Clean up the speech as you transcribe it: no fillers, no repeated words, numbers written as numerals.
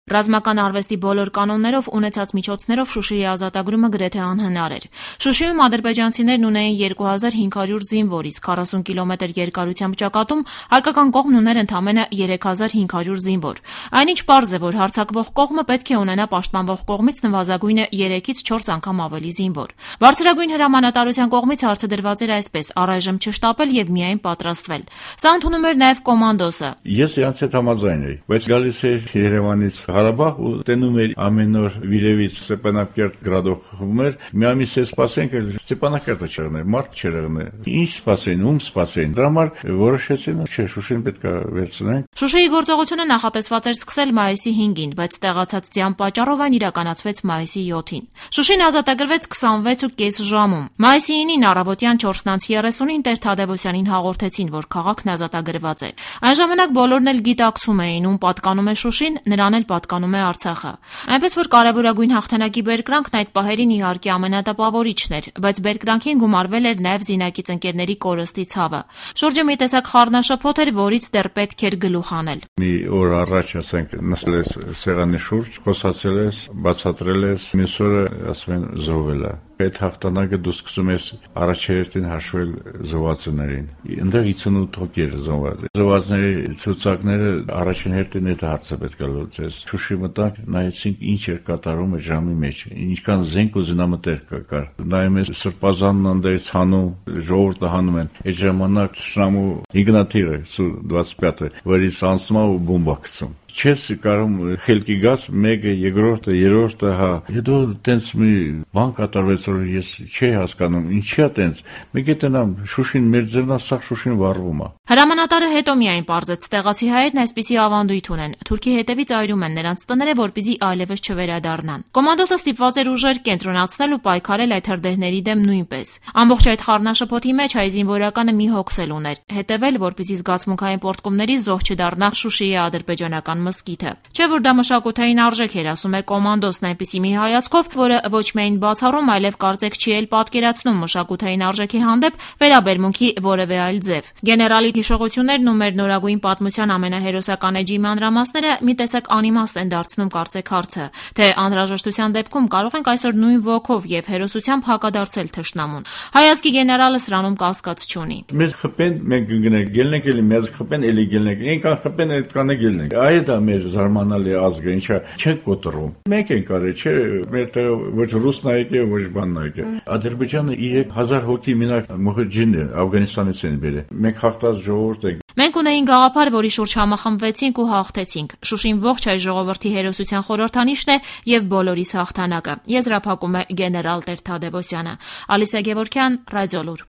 Ռազմական արվեստի բոլոր կանոններով ունեցած միջոցներով Շուշիի ազատագրումը գրեթե անհնար էր։ Շուշիում ադրբեջանցիներն ունեին 2500 զինվոր, իսկ 40 կիլոմետր երկարությամբ ճակատում հայկական կողմն ուներ ընդամենը 3500 զինվոր։ Այնինչ պարզ է, որ հարձակվող կողմը պետք է ունենա պաշտպանվող կողմից նվազագույնը 3-ից 4 անգամ ավելի զինվոր։ Բարձրագույն հրամանատարության կողմից հարցը դրված էր այսպես՝ առայժմ չշտապել եւ միայն պատրաստվել։ Սա ընդունում էր նաեւ կոմանդոսը։ Ես իրանց հետ համաձայն էի, բայց գալիս էր Երևանից Ղարաբաղ ու տենում էր ամեն օր Վիրևից Ստեփանակերտ գրադող խմում էր։ Մի ամիս է սպասենք, Ստեփանակերտը չեղներ, մարդ չեղներ։ Ինչ սպասեին, ում սպասեին։ Դրա համար որոշեցին, չէ, Շուշին պետք է վերցնենք։ Շուշիի գործողությունը նախատեսված էր սկսել մայիսի 5-ին, բայց տեղացած ձյան պատճառով այն իրականացվեց մայիսի 7-ին։ Շուշին ազատագրվեց 26.5 ժամում։ Մայիսի 9-ին առավոտյան 4:30-ին Տեր Թադևոսյանին հաղորդեցին, որ քաղաքն ազատագրված է։ Այն ժամանակ բոլորն էլ գիտակցում էին, ում պատկանում է Շուշին, նրան էլ պատկանում է Արցախը։ Այնպես որ կարևորագույն հաղթանակի բերկրանքն այդ պահերին իհարկե ամենատպավորիչն էր, բայց բերկրանքին գումարվել էր նաև զինակից ընկերների կորստի ցավը։ Շուրջը մի տեսակ խառնաշփոթ էր, որից դեռ պետք էր գլուխ անել։ Մի օր առաջ, ասենք, նստել ես սեղանի շուրջ, խոսացել ես, բացատրել ես, մյուս օրը ասում են զոհվել է։ Այդ հաղթանակը դու սկսում ես առաջերտին հաշվել զոհվածներին։ Այնտեղ 58 հոգի էր զոհված։ Զոհվածների ցուցակները առաջին հերթին այդ հարցը պետք է լուծես։ Շուշի մտանք, նայեցինք ինչ էր կատարում այդ ժամի մեջ, ինչքան զենք ու զինամթեր կար։ Նայում ես սրբազանն անդերից հանում, ժողովուրդը հանում են։ Այդ ժամանակ շնամու ինգնատիրը Սու-25-ը, որից անցնում ու բոմբա գցում։ Չես կարում խելքի գաս մեկը, երկրորդը, երրորդը, հա։ Հետո տենց մի բան կատարվեց, որ ես չի հասկանում, ինչի՞ է տենց։ Մեկ է տնամ Շուշին մեր ձեռնա, սա Շուշին վառվում է։ Հրամանատարը հետո միայն պարզեց, տեղացի հայերն այսպիսի ավանդույթ ունեն։ Թուրքի հետևից այրում են նրանց տները, որպեսզի այլևս չվերադառնան։ Կոմանդոսը ստիպված էր ուժեր կենտրոնացնել ու պայքարել այդ հրդեհների դեմ նույնպես։ Ամբողջ այդ խառնաշփոթի մեջ հայ զինվորականը մի հոգսել ուներ՝ հետևել, որպեսզի զգացմունքային պոռթկումների զոհ չդառնա Շուշիի ադրբեջանական մզկիթը։ Չէ՞ որ դա մշակութային արժեք էր, ասում է կոմանդոսն այնպիսի մի հայացքով, որը ոչ միայն բացառում, այլև կարծեք չի էլ պատկերացնում մշակութային արժեքի հանդեպ վերաբերմունքի որևէ այլ ձև։ Գեներալի հիշողություններն ու մեր նորագույն պատմության ամենահերոսական էջի մանրամասները մի տեսակ անիմաստ են դարձնում կարծեք հարցը, թե անհրաժեշտության դեպքում կարող ենք այսօր նույն ոգով եւ հերոսությամբ հակադարձել թշնամուն։ Հայացքի գեներալը սրանում կասկած չունի։ Մեզ խփեն, մենք գնանք, ելնենք էլի, մեզ խփեն, էլի ելնենք։ Այնքան խփեն, այդքան է ելնենք։ Այդ է մեր զարմանալի ազգը, ինչա չենք կոտրում։ Մենք ենք արել, չէ, մեր տեղ ոչ ռուսն եկե, ոչ բանն եկե։ Ադրբեջանը 3000 հոգի մինակ մուխջին է, Աֆղանստանից են բերել։ Մենք հաղթած ժողովուրդ ենք։ Մենք ունեինք գաղափար, որի շուրջ համախմբվեցինք ու հաղթեցինք։ Շուշին ողջ հայ ժողովրդի հերոսության խորհրդանիշն է եւ բոլորիս հաղթանակը։ Եզրափակում է գեներալ Տեր Թադևոսյանը։ Ալիսա Գևորգյան, Ռադիոլուր։